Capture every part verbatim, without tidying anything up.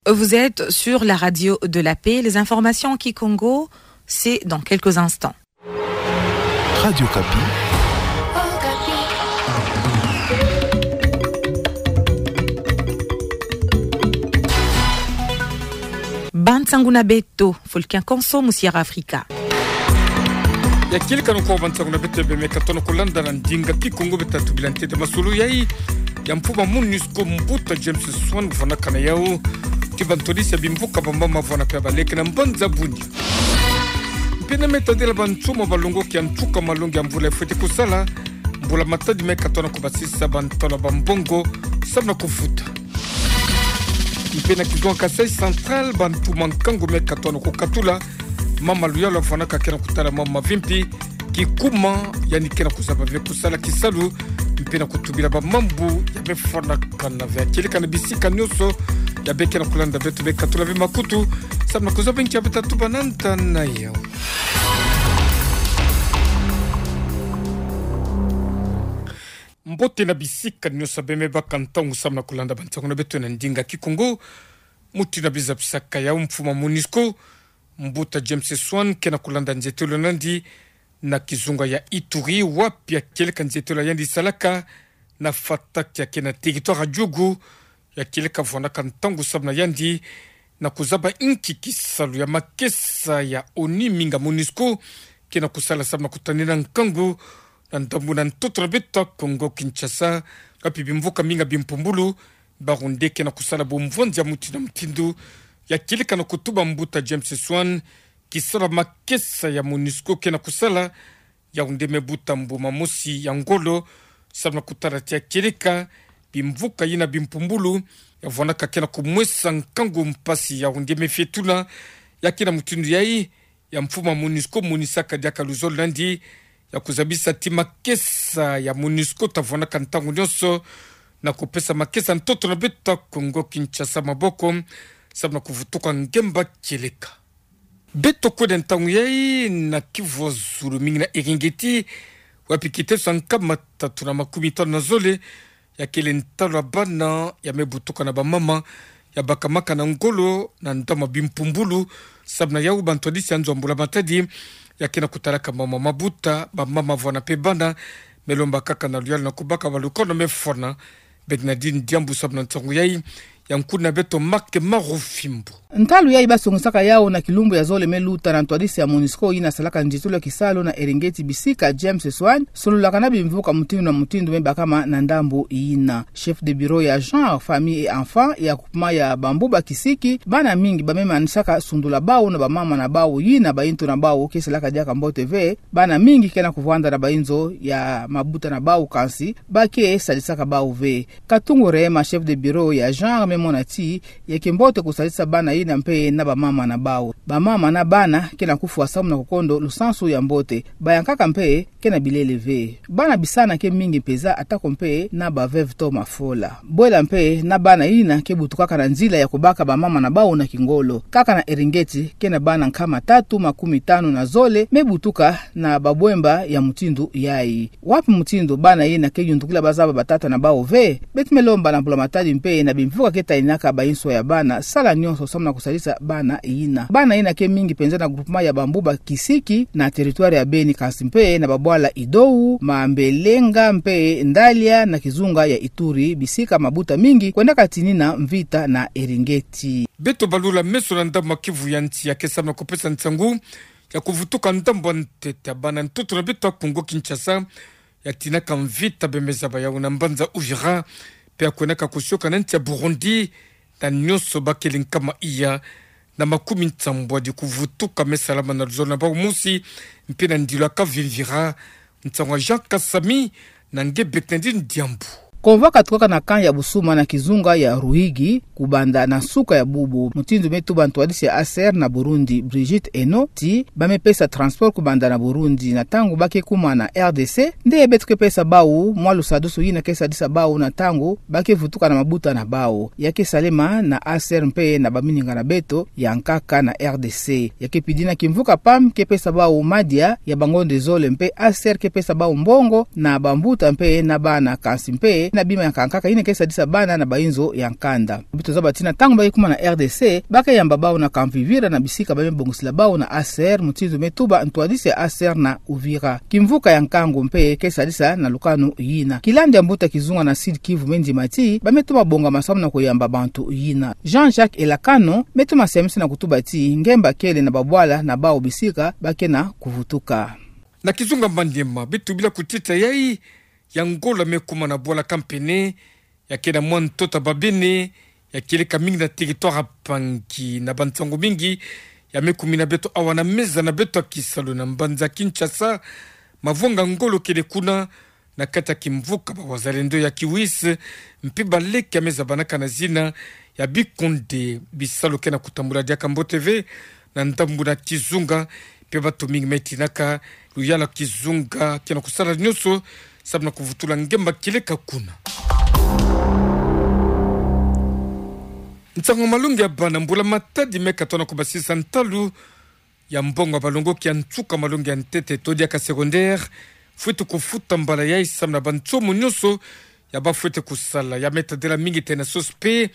Vous êtes sur la radio de la paix. Les informations en kikongo, c'est dans quelques instants. Radio Okapi. Ba nsangu na beto, fo likiakonso mu Sierra Africa. Ya kieleka no kwa ba nsangu na beto ya bemeka tono kulanda na ndinga kikongo. Beta tubila ntete masolo yai ya mfumu a MONUSCO, mbuta James Swan, kuvwanaka na yau ti ba ntwadisi ya bimvuka ba mama vwana pe baleke na mbanza Bunia. Mpe na meta dela ba nsuma balongoki ya ntuka malongi ya mvula efweti kusala, mbula matadi meka tona kubasisa ba ntwala ba mbongo samu na kufuta. Mpe na kizunga Kasaï Central, ba ntuma nkangu meka tona kukatula mama Luyalu avwanaka ke na kutala mama mavimpi, kikuma, yandi ke na kuzaba ve kusala kisalu, mpe na kutubila ba mambu ya mefwanakana ve. Ya kieleka na bisika nionso ya be ke na kulanda beto, bekatula ve makutu samu na kuzaba nki ya beta tuba nanda na yau. Mbote na bisika nionso ya be mebaka ntangu samu na kulanda ba nsangu na beto na ndinga kikongo. Mutindu na bizabisaka yau, mfumu a MONUSCO, mbuta James Swan, ke na kulanda nzietelo na yandi na kizunga ya Ituri, wapi ya kieleka nzietelo ya yandi isalaka na Fatak, ya ke na territoire ya Djugu. Ya kieleka vwanaka ntangu samu na yandi na kuzaba nki kisalu ya makesa ya ONU minga MONUSCO ke na kusala samu na kutanina nkangu na ndambu na ntoto na beto Kongo-Kinshasa, wapi bimvuka minga bimpumbulu barunde ke na kusala bumvwanzi ya mutindu na mutindu. Ya kieleka na kutuba mbuta James Swan kisalu ya makesa ya MONUSCO ke na kusala, ya runde mebuta mbuma mosi ya ngolo samu na kutala ti ya kieleka bimvuka yina bimpumbulu ya vwanaka ke na kumwesa nkangu mpasi, ya runde mefietula. Ya ke na mutindu yai, ya mfumu a MONUSCO monisaka diaka luzolo na yandi ya kuzabisa ti makesa ya MONUSCO ta vwanaka ntangu nionso na kupesa makesa ntoto na beto Kongo-Kinshasa maboko samu na kuvutuka ngemba kieleka. Beto kwenda ntangu yai na Kivu ya zulu, mingi na Eringeti, wapi kiteso ya nkama tatu na makumi tanu na zole ya kele ntalu ya bana ya mebutuka na ba mama, ya bakamaka na ngolo na ndambu ya bimpumbulu. Samu na yau, ba ntwadisi ya nzo ya mbula matadi ya ke na kutalaka mama mabuta, ba mama vwana mpe bana, melomba kaka na luyalu na kubaka ba lukono mefwana. Bernardine Diambu samu na nsangu yai, ya nkuna beto Marc Marufimbo. Ntalu yai basongisaka yau na kilumbu ya zole meluta na ntwadisi ya MONUSCO yina salaka nzietolo ya kisalu na Eringeti bisika James Swan, sololaka na bimvuka mutindu na mutindu mebakama na ndambu yina. Chef de bureau ya genre, famille et enfant ya groupement ya Bambuba Kisiki, bana mingi ba memanisaka sundula bau na ba mama na bau yina ba intu na bau ke salaka diaka mbote ve. Bana mingi ke na kuvwanda na ba inzo ya mabuta na bau, kansi ba ke sadisaka bau ve. Katungu Rehema, chef de bureau ya genre, memona ti ya ke mbote kusadisa bana yina mpe na ba mama na bau. Ba mama na bana ke na kufwa samu na kukondo lusansu ya mbote. Bayankaka mpe ke na bilele ve. Bana bisana ke mingi mpeza, atako mpe na ba veuve to mafola. Bwela mpe na bana yina ke butukaka na nzila ya kubaka ba mama na bau na kingolo. Kaka na Eringeti ke na bana nkama tatu makumi tanu na zole mebutuka na babwemba ya mutindu yai. Wapi mutindu bana yina ke yundukila bazaba batata na bau ve? Beto melomba na mbula matadi mpe na bimvuka ke taninaka ba inswa ya bana sala nionso samu na kusadisa bana yina. Bana yina ke mingi mpenza na groupement ya Bambuba Kisiki na territoire ya Beni, kansi mpe na babwala Idou, Mambelenga mpe Ndalia na kizunga ya Ituri, bisika mabuta mingi kwendaka tinina mvita na Eringeti. Beto balula meso na ndambu ya Kivu ya nsi ya ke samu na kupesa nsangu ya kuvutuka ndambu ya ntete ya bana ntoto na beto Kongo-Kinshasa ya tinaka mvita, bemeza ba yau na mbanza Uvira, mpe ya kwendaka kusioka na nsi ya Burundi, na nionso ba kele nkama iya na makumi nsambwadi. Kuvutuka mesalama na luzolo na bau mosi mpe na ndilo ya Kavimvira. Nsangu ya Jean Kasami na nge Bernardine Diambu. Convoi katukaka na camp ya Busuma na kizunga ya Ruhigi kubanda na nsuka ya bubu. Mutindu metuba ntwadisi ya A C R na Burundi, Brigitte Eno, ti ba mepesa transport kubanda na Burundi na ntangu ba ke kuma na R D C, nde beto ke pesa bau mwa lusadusu yina ke sadisa bau na ntangu ba ke vutuka na mabuta na bau. Ya ke salema na A C R mpe na bamininga na beto ya nkaka na R D C. Ya ke pidina kimvuka PAM ke pesa bau madia ya bangonde zole mpe A C R ke pesa bau mbongo na bambuta mpe na bana, kansi mpe na bima ya nkaka, yina ke sadisa bana na bainzo ya nkanda. Beto zaba tina ntangu ba ke kuma na R D C, ba ke yamba bau na kamvivira na bisika ba me bongisila bau na Aser, mutindu me tuba ntwadisi ya Aser na Uvira. Kimvuka ya nkangu mpe ke sadisa na lukanu yina. Kilandi ya mbuta kizunga na Sud-Kivu me ndima ti ba me tuba bongama samu na kuyamba bantu yina. Jean-Jacques Elakano me tuma siamisi na kutuba ti ngemba kele na babwala na bau bisika ba ke na kuvutuka. Na kizunga Maniema, beto bila kutita yai ya ngolo me kuma na bwala Kampene, ya ke na mwa ntota Babene, ya kieleka mingi na territoire ya Pangi. Na bansango mingi ya me kumina beto awa na meza na beto ya kisalu na mbanza Kinshasa, mavwanga ngolo kele kuna, na kati ya kimvuka ba wazalendo ya Kiwis, mpe baleke ya me zabanaka na zina ya bikonde. Bisalu ke na kutambula diaka mbote ve na ndambu na kizunga, mpe bantu mingi me tinaka luyalu ya kizunga ke na kusala nyonso samu na kuvutula ngemba kieleka kuna. Nsangu malongi ya bana mbula matadi me katona kubasisa ntalu ya mbongo ya balongoki ya nsuka malongi ya ntete to diaka secondaire fwete kufuta mbala yai samu na bansomo nyonso ya ba fwete kusala. Ya me tadila mingi tena sosi mpe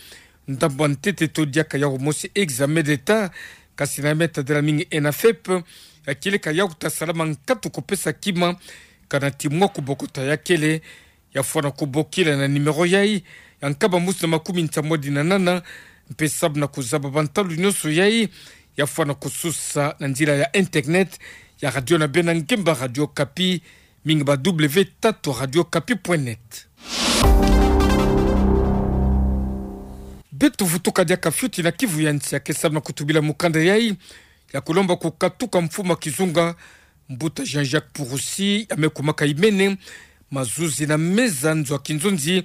ndambu ya ntete to diaka yawu mosi, examen d'État, kasi na ya me tadila mingi ENAFEP, ya kieleka yawu ta salama nkatu kupesa kima, kana ti mwa kubokota ya kele, ya fwana kubokila na numéro yai ya nkaba mosi na makumi nsamwadi na nana, mpe samu na kuzaba bantalu nyonso yai, ya fwana kususa na nzila ya internet ya radio na bena ngemba Radio Okapi, mingi ba W tatu radio okapi point net. Beto vutuka diaka fioti na Kivu ya nsi ya ke samu na kutubila mukanda yai ya kulomba kukatuka mfumu ya kizunga, mbuta Jean-Jacques Purussi, ya me kumaka imene mazuzi na meza nzo ya kinzonzi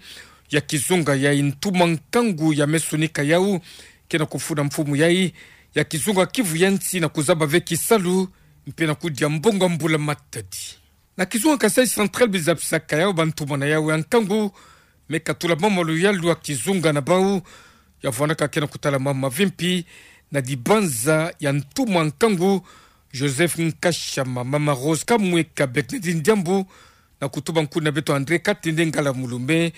ya kizunga yai. Ntuma nkangu ya me sonika yawu ke na kufunda mfumu yai ya kizunga Kivu ya nsi na kuzaba ve kisalu mpe na kudia mbongo ya mbula matadi. Na kizunga Kasaï Central, bizapisaka yawu bantuma na yawu ya nkangu me katula mama luyalu ya kizunga na bawu, ya vwandaka ke na kutala mama mavimpi na dibanza ya ntuma nkangu Joseph Nkashama, mama Rose Kamweka, Bernadine Diambu, na kutuba nkuna beto André Katende Ngala Mulume,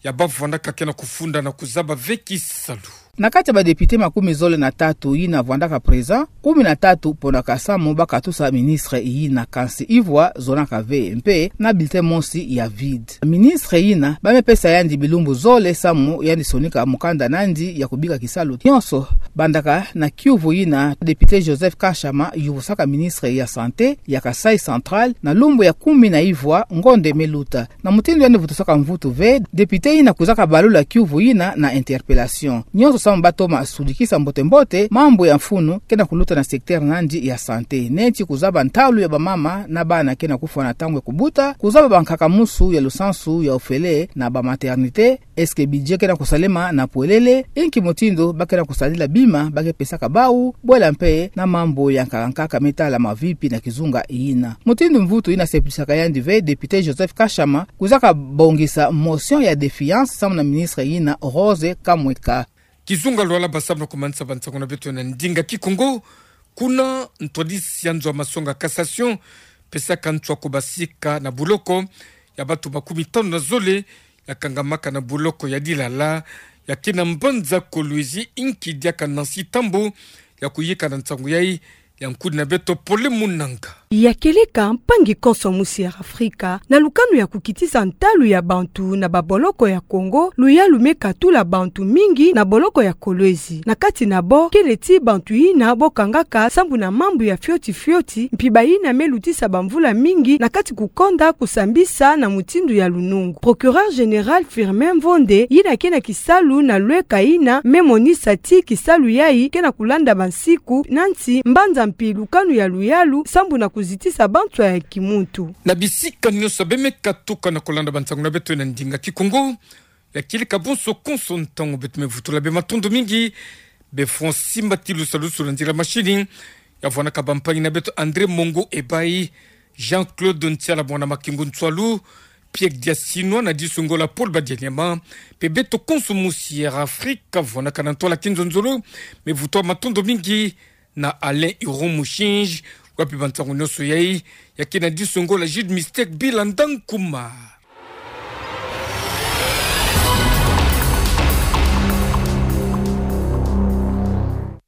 ya ba vwandaka ke na kufunda na kuzaba ve kisalu. Na kati ya ba député makumi zole na tatu yina vwandaka présent, kumi na tatu ponaka samu ba katusa ministre yina, kansi ivwa zonaka ve mpe na bulletin mosi ya vide. Ministre yina ba me pesa yandi bilumbu zole samu yandi sonika mukanda na yandi ya kubika kisalu nyonso. Bandaka na kiuvu yina, député Joseph Nkashama yuvusaka ministre ya santé ya Kasaï Central na lumbu ya kumi na ivwa ngonde me luta. Na mutindu yandi vutusaka mvutu ve, député yina kwizaka balula kiuvu yina na interpellation. Nyonso samu ba toma sudikisa mbote-mbote mambu ya mfunu ke na kuluta na secteur na yandi ya santé, neti kuzaba ntalu ya bamama na bana ke na kufwa na ntangu ya kubuta, kuzaba bankaka musu ya lusansu ya ofele na ba maternité, est-ce que budget ke na kusalema na pwelele, inki mutindu ba ke na kusadila bima ba ke pesaka bawu, bwela mpe na mambu ya nkaka-nkaka me tala mavimpi na kizunga yina. Mutindu mvutu yina sepilisaka yandi ve, député Joseph Nkashama kwizaka bongisa motion ya défiance samu na ministre yina Rose Kamweka. Kizunga lwala ba samu na kumanisa bansangu na beto na ndinga Kikongo. Kuna ntwadisi ya nzo ya masonga cassation pesaka nswa kubasika na buloko ya bantu makumi tanu na zole ya kangamaka na buloko ya Dilala, ya ke na mbanza Kolwezi, inki diaka Nancy Tambo ya kuyika na nsangu yai, ya nkuni na beto Pole Munanga. Ya kieleka mpangi konso musi ya Afrika na lukanu ya kukitisa ntalu ya bantu na baboloko ya Kongo, luyalu me katula bantu mingi na boloko ya Kolwezi. Na kati na bo, kele ti bantu yina bo kangaka sambu na mambu ya fioti-fioti, mpi bayina me lutisa bamvula mingi na kati kukonda kusambisa na mutindu ya lunungu. Procureur général Firmin Mvonde, yina ke na kisalu na lweka yina, me monisa ti kisalu yai ke na kulanda bansiku na nsi, mbanza mpi lukanu ya luyalu sambu na kuzitisa banswa ya kimuntu. Na bisika nyonso be me katuka na kulanda bansangu na beto na ndinga Kikongo, ya kieleka bonso konso ntangu beto me vutula be matondo mingi. Be Francis Mbatilu salusu na nzila machine, ya vwanaka bampangi na beto André Mongo Ebayi, Jean-Claude Ntiala mwana Makingu Nsualu, Pierre Diasinwa na Disongola Paul Badianyama, mpe beto konso musi Air Afrique, vwanaka na ntwala kinzonzolo, me vutua matondo mingi na Alain Huron Mushinji, wapi bansangu nyonso yai, ya ke na Disongola Jude Mystère Bila Ndankuma.